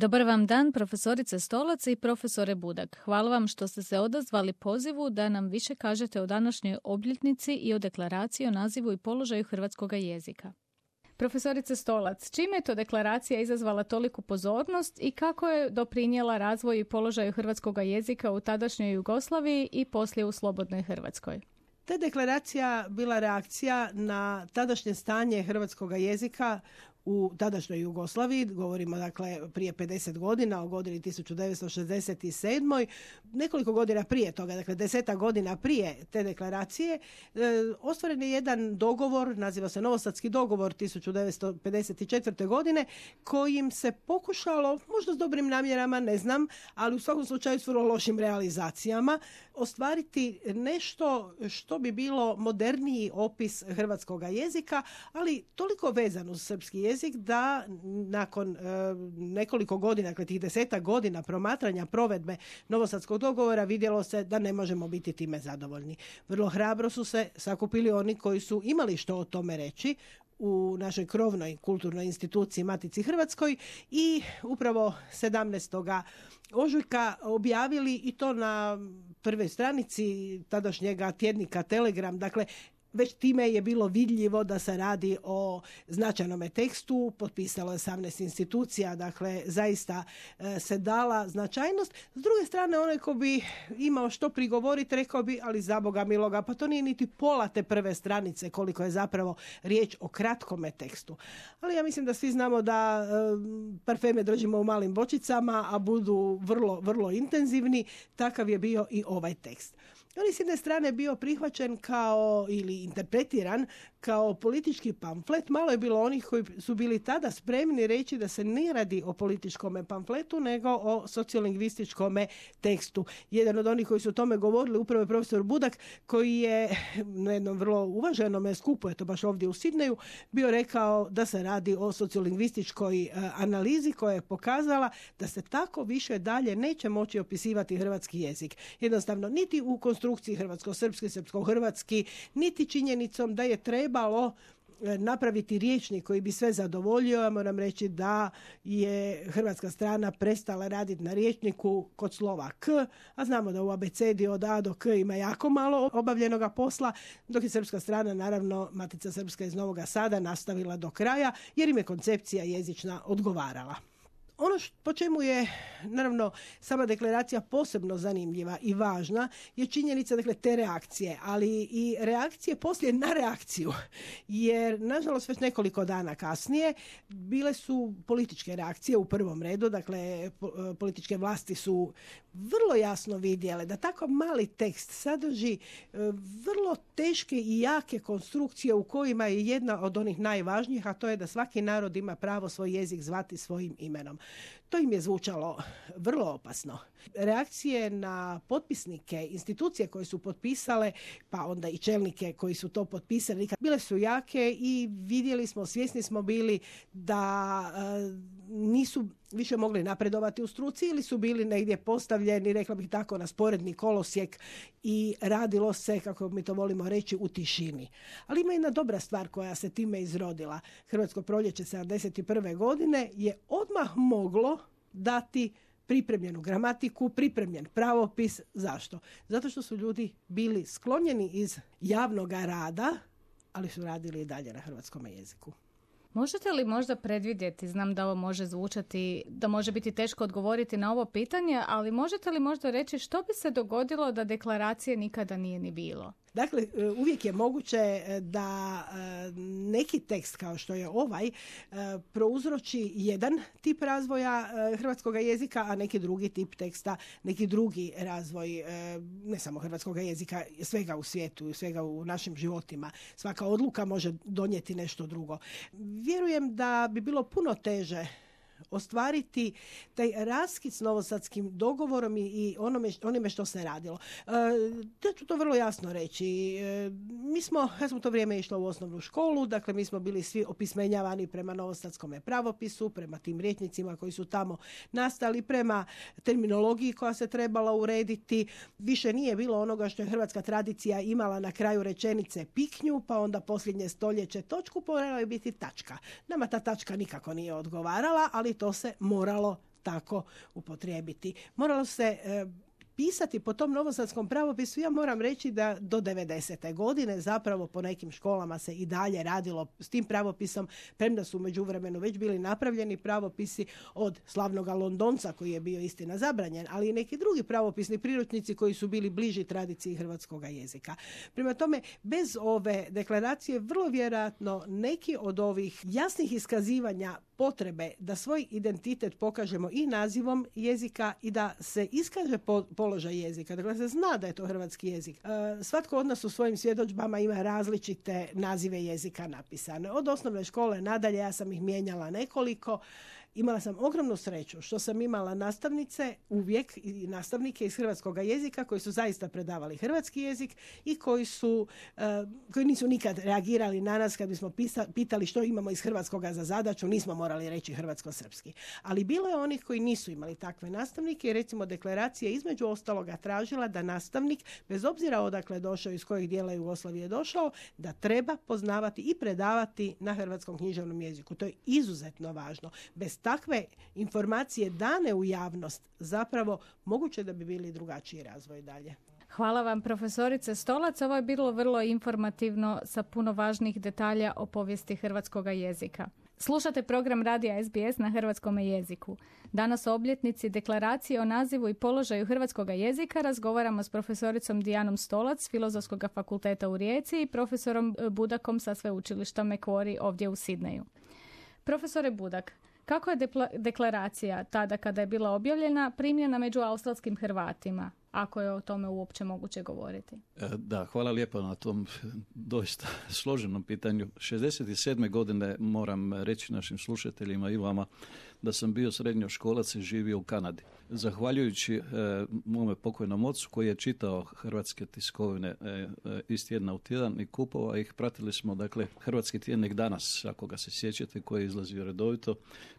Dobar vam dan, profesorice Stolac i profesore Budak. Hvala vam što ste se odazvali pozivu da nam više kažete o današnjoj obljetnici i o deklaraciji o nazivu i položaju hrvatskoga jezika. Profesorice Stolac, čime je to deklaracija izazvala toliku pozornost i kako je doprinijela razvoju i položaju hrvatskoga jezika u tadašnjoj Jugoslaviji i poslije u slobodnoj Hrvatskoj? Ta deklaracija bila reakcija na tadašnje stanje hrvatskoga jezika u tadašnjoj Jugoslaviji, govorimo dakle prije 50 godina, o godini 1967. Nekoliko godina prije toga, dakle 10 godina prije te deklaracije, ostvaren je jedan dogovor, naziva se Novosadski dogovor 1954. godine, kojim se pokušalo, možda s dobrim namjerama, ne znam, ali u svakom slučaju s vrlo lošim realizacijama, ostvariti nešto što bi bilo moderniji opis hrvatskoga jezika, ali toliko vezan uz srpski jezik da nakon nekoliko godina, dakle tih 10 godina promatranja provedbe Novosadskog dogovora vidjelo se da ne možemo biti time zadovoljni. Vrlo hrabro su se sakupili oni koji su imali što o tome reći u našoj krovnoj kulturnoj instituciji Matici Hrvatskoj i upravo 17. ožujka objavili i to na prvoj stranici tadašnjega tjednika Telegram, dakle već time je bilo vidljivo da se radi o značajnome tekstu, potpisalo je 18 institucija, dakle zaista se dala značajnost. S druge strane, onaj ko bi imao što prigovoriti, rekao bi, ali za Boga miloga, pa to nije niti pola te prve stranice koliko je zapravo riječ o kratkome tekstu. Ali ja mislim da svi znamo da parfeme držimo u malim bočicama, a budu vrlo, vrlo intenzivni. Takav je bio i ovaj tekst. On je s jedne strane bio prihvaćen kao ili interpretiran kao politički pamflet. Malo je bilo onih koji su bili tada spremni reći da se ne radi o političkom pamfletu nego o sociolingvističkom tekstu. Jedan od onih koji su o tome govorili upravo je profesor Budak, koji je na jednom vrlo uvaženom skupu, eto baš ovdje u Sidneju, bio rekao da se radi o sociolingvističkoj analizi koja je pokazala da se tako više dalje neće moći opisivati hrvatski jezik. Jednostavno, niti u konstrukciji hrvatsko-srpski, srpsko-hrvatski, niti činjenicom da je trebalo napraviti rječnik koji bi sve zadovoljio. Ja moram reći da je hrvatska strana prestala raditi na rječniku kod slova K, a znamo da u abecedi od A do K ima jako malo obavljenoga posla, dok je srpska strana, naravno Matica Srpska iz Novoga Sada, nastavila do kraja jer im je koncepcija jezična odgovarala. Ono po čemu je, naravno, sama deklaracija posebno zanimljiva i važna je činjenica, dakle, te reakcije, ali i reakcije poslije na reakciju. Jer, nažalost, već nekoliko dana kasnije bile su političke reakcije u prvom redu, dakle, političke vlasti su vrlo jasno vidjele da tako mali tekst sadrži vrlo teške i jake konstrukcije u kojima je jedna od onih najvažnijih, a to je da svaki narod ima pravo svoj jezik zvati svojim imenom. To im je zvučalo vrlo opasno. Reakcije na potpisnike, institucije koje su potpisale, pa onda i čelnike koji su to potpisali, bile su jake i vidjeli smo, svjesni smo bili da nisu više mogli napredovati u struci ili su bili negdje postavljeni, rekla bih tako, na sporedni kolosijek i radilo se, kako mi to volimo reći, u tišini. Ali ima jedna dobra stvar koja se time izrodila. Hrvatsko proljeće 71. godine je odmah moglo dati pripremljenu gramatiku, pripremljen pravopis. Zašto? Zato što su ljudi bili sklonjeni iz javnog rada, ali su radili i dalje na hrvatskom jeziku. Možete li možda predvidjeti, znam da ovo može zvučati, da može biti teško odgovoriti na ovo pitanje, ali možete li možda reći što bi se dogodilo da deklaracije nikada nije ni bilo? Dakle, uvijek je moguće da neki tekst kao što je ovaj prouzroči jedan tip razvoja hrvatskog jezika, a neki drugi tip teksta, neki drugi razvoj ne samo hrvatskog jezika, svega u svijetu, svega u našim životima. Svaka odluka može donijeti nešto drugo. Vjerujem da bi bilo puno teže ostvariti taj raskid s Novosadskim dogovorom i onime što se radilo. Ja ću to vrlo jasno reći. Ja sam u to vrijeme išla u osnovnu školu, dakle mi smo bili svi opismenjavani prema Novosadskom pravopisu, prema tim rječnicima koji su tamo nastali, prema terminologiji koja se trebala urediti. Više nije bilo onoga što je hrvatska tradicija imala na kraju rečenice piknju, pa onda posljednje stoljeće točku, morala je biti tačka. Nama ta tačka nikako nije odgovarala, ali to se moralo tako upotrijebiti. Moralo se pisati po tom novosadskom pravopisu. Ja moram reći da do 90. godine zapravo po nekim školama se i dalje radilo s tim pravopisom, premda su u međuvremenu već bili napravljeni pravopisi od slavnoga Londonca koji je bio istina zabranjen, ali i neki drugi pravopisni priručnici koji su bili bliži tradiciji hrvatskoga jezika. Prema tome, bez ove deklaracije vrlo vjerojatno neki od ovih jasnih iskazivanja potrebe da svoj identitet pokažemo i nazivom jezika i da se iskaže položaj jezika. Dakle, se zna da je to hrvatski jezik. Svatko od nas u svojim svjedodžbama ima različite nazive jezika napisane. Od osnovne škole nadalje, ja sam ih mijenjala nekoliko. Imala sam ogromnu sreću što sam imala nastavnice uvijek i nastavnike iz hrvatskog jezika koji su zaista predavali hrvatski jezik i koji nisu nikad reagirali na nas kad bismo pitali što imamo iz hrvatskoga za zadaću, nismo morali reći hrvatsko-srpski. Ali bilo je onih koji nisu imali takve nastavnike i recimo deklaracija između ostaloga tražila da nastavnik, bez obzira odakle je došao, iz kojeg dijela Jugoslavije je došao, da treba poznavati i predavati na hrvatskom književnom jeziku. To je izuzetno važno. Bez takve informacije dane u javnost zapravo moguće da bi bili drugačiji razvoj dalje. Hvala vam, profesorice Stolac. Ovo je bilo vrlo informativno sa puno važnih detalja o povijesti hrvatskoga jezika. Slušate program radija SBS na hrvatskom jeziku. Danas o obljetnici deklaracije o nazivu i položaju hrvatskoga jezika razgovaramo s profesoricom Dijanom Stolac s Filozofskog fakulteta u Rijeci i profesorom Budakom sa sveučilišta Macquarie ovdje u Sidneju. Profesore Budak, kako je deklaracija tada kada je bila objavljena primljena među australskim Hrvatima, ako je o tome uopće moguće govoriti? Da, hvala lijepo na tom doista složenom pitanju. 67. godine moram reći našim slušateljima i vama da sam bio srednjoškolac i živio u Kanadi. Zahvaljujući mome pokojnom ocu koji je čitao hrvatske tiskovine iz tjedna u tjedan i kupovao ih, pratili smo dakle hrvatski tjednik Danas, ako ga se sjećate, koji je izlazio redovito,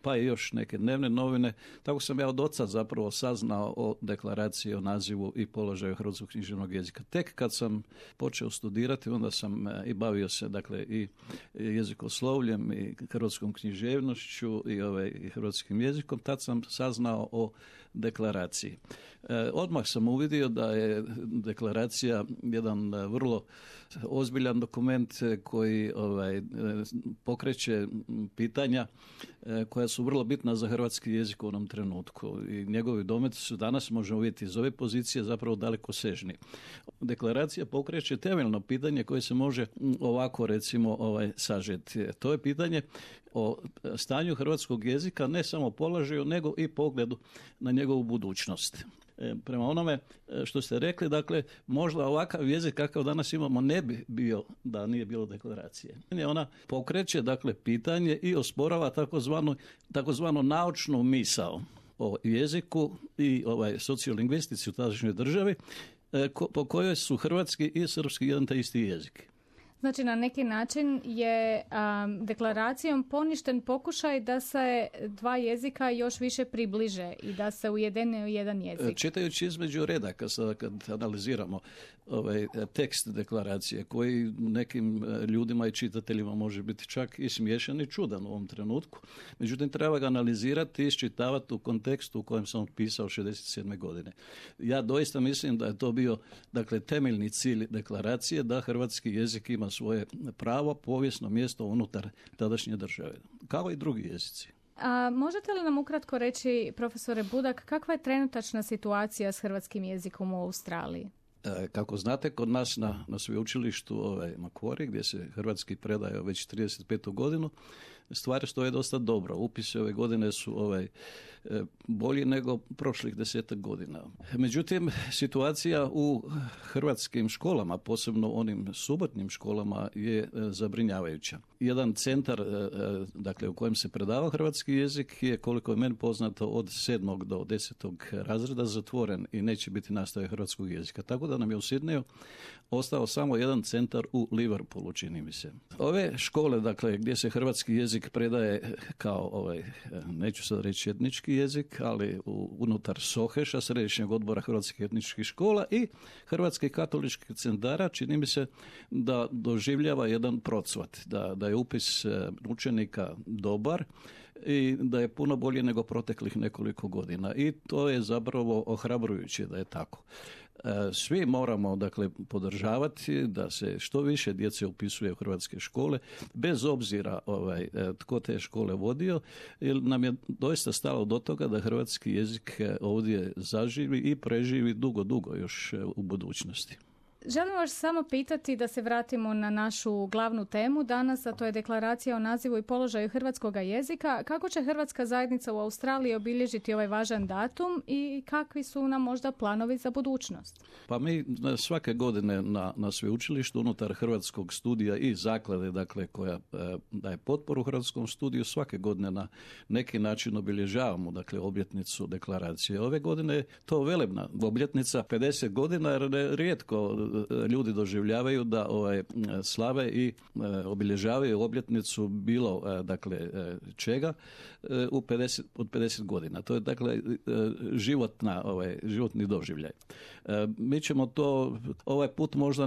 pa i još neke dnevne novine. Tako sam ja od oca zapravo saznao o deklaraciji o nazivu i položaju hrvatskog književnog jezika. Tek kad sam počeo studirati, onda sam i bavio se dakle i jezikoslovljem i hrvatskom književnošću i hrvatskim jezikom, tad sam saznao o deklaraciji. Odmah sam uvidio da je deklaracija jedan vrlo ozbiljan dokument koji pokreće pitanja koja su vrlo bitna za hrvatski jezik u onom trenutku i njegovi dometi su danas, možemo vidjeti iz ove pozicije, zapravo daleko sežni. Deklaracija pokreće temeljno pitanje koje se može ovako recimo sažeti. To je pitanje o stanju hrvatskog jezika, ne samo položaju, nego i pogledu na njegovu budućnost. Prema onome što ste rekli, dakle, možda ovakav jezik kakav danas imamo ne bi bio da nije bilo deklaracije. Ona pokreće, dakle, pitanje i osporava takozvanu naučnu misao o jeziku i sociolingvistici u tadašnjoj državi, po kojoj su hrvatski i srpski jedan te isti jezik. Znači, na neki način je deklaracijom poništen pokušaj da se dva jezika još više približe i da se ujedine u jedan jezik. Čitajući između redaka, sada kad analiziramo tekst deklaracije, koji nekim ljudima i čitateljima može biti čak i smiješan i čudan u ovom trenutku, međutim treba ga analizirati i iščitavati u kontekstu u kojem sam pisao 67. godine. Ja doista mislim da je to bio temeljni cilj deklaracije, da hrvatski jezik ima svoje pravo, povijesno mjesto unutar tadašnje države, kao i drugi jezici. A možete li nam ukratko reći, profesore Budak, kakva je trenutačna situacija s hrvatskim jezikom u Australiji? Kako znate, kod nas na sveučilištu Macquarie, gdje se hrvatski predaje već 35. godinu, stvari stoje dosta dobro. Upisi ove godine su bolji nego prošlih 10 godina. Međutim, situacija u hrvatskim školama, posebno onim subotnim školama, je zabrinjavajuća. Jedan centar u kojem se predava hrvatski jezik je, koliko je meni poznato, od 7. do 10. razreda zatvoren i neće biti nastave hrvatskog jezika. Tako da nam je u Sidneju ostao samo jedan centar u Liverpoolu, čini mi se. Ove škole, gdje se hrvatski jezik predaje kao, neću sad reći etnički jezik, ali unutar SOHEŠ-a, Središnjeg odbora hrvatskih etničkih škola i hrvatskih katoličkih centara, čini mi se da doživljava jedan procvat, da je upis učenika dobar i da je puno bolje nego proteklih nekoliko godina. I to je zapravo ohrabrujuće da je tako. Svi moramo, dakle, podržavati da se što više djece upisuje u hrvatske škole, bez obzira tko te škole vodio, jer nam je doista stalo do toga da hrvatski jezik ovdje zaživi i preživi dugo još u budućnosti. Želim vas samo pitati da se vratimo na našu glavnu temu danas, a to je deklaracija o nazivu i položaju hrvatskoga jezika. Kako će hrvatska zajednica u Australiji obilježiti ovaj važan datum i kakvi su nam možda planovi za budućnost? Pa mi svake godine na sveučilištu unutar hrvatskog studija i zaklade, dakle, koja daje potporu hrvatskom studiju, svake godine na neki način obilježavamo, dakle, obljetnicu deklaracije. Ove godine je to velebna obljetnica, 50 godina, jer rijetko ljudi doživljavaju da slave i obilježavaju obljetnicu bilo čega od 50 godina. To je dakle životni doživljaj. Mi ćemo to ovaj put možda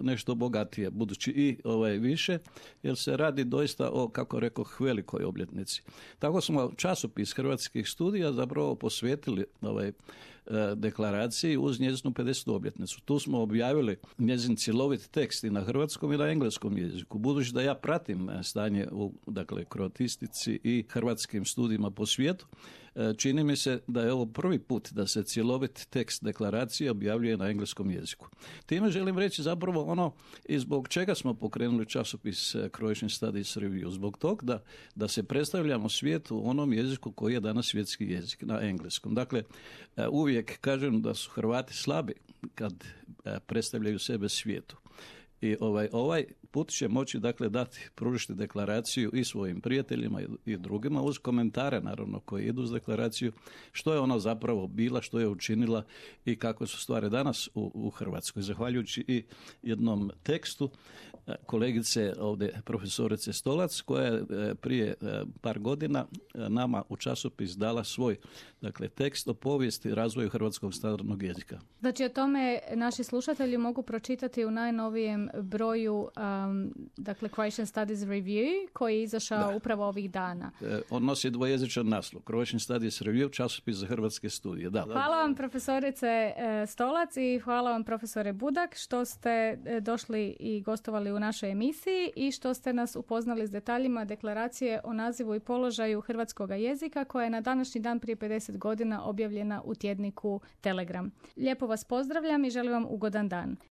nešto bogatije, budući i više, jer se radi doista o, kako rekoh, velikoj obljetnici. Tako smo časopis Hrvatskih studija zapravo posvetili deklaraciji uz njezinu 50. obljetnicu. Tu smo objavili njezin cjelovit tekst i na hrvatskom i na engleskom jeziku. Budući da ja pratim stanje u kroatistici i hrvatskim studijima po svijetu, čini mi se da je ovo prvi put da se cjelovit tekst deklaracije objavljuje na engleskom jeziku. Time želim reći zapravo ono i zbog čega smo pokrenuli časopis Croatian Studies Review. Zbog tog da se predstavljamo svijetu u onom jeziku koji je danas svjetski jezik, na engleskom. Dakle, uvijek kažem da su Hrvati slabi kad predstavljaju sebe svijetu. I ovaj put će moći, dakle, pružiti deklaraciju i svojim prijateljima i drugima uz komentare, naravno, koji idu uz deklaraciju, što je ona zapravo bila, što je učinila i kako su stvari danas u Hrvatskoj. Zahvaljujući i jednom tekstu kolegice ovdje, profesorice Stolac, koja je prije par godina nama u časopis dala svoj, dakle, tekst o povijesti i razvoju hrvatskog standardnog jezika. Znači, o tome naši slušatelji mogu pročitati u najnovijem broju dakle, Croatian Studies Review, koji je izašao upravo ovih dana. On nosi dvojezičan naslov, Croatian Studies Review, časopis za hrvatske studije. Da. Hvala vam, profesorice Stolac, i hvala vam, profesore Budak, što ste došli i gostovali u našoj emisiji i što ste nas upoznali s detaljima deklaracije o nazivu i položaju hrvatskoga jezika, koja je na današnji dan prije 50 godina objavljena u tjedniku Telegram. Lijepo vas pozdravljam i želim vam ugodan dan.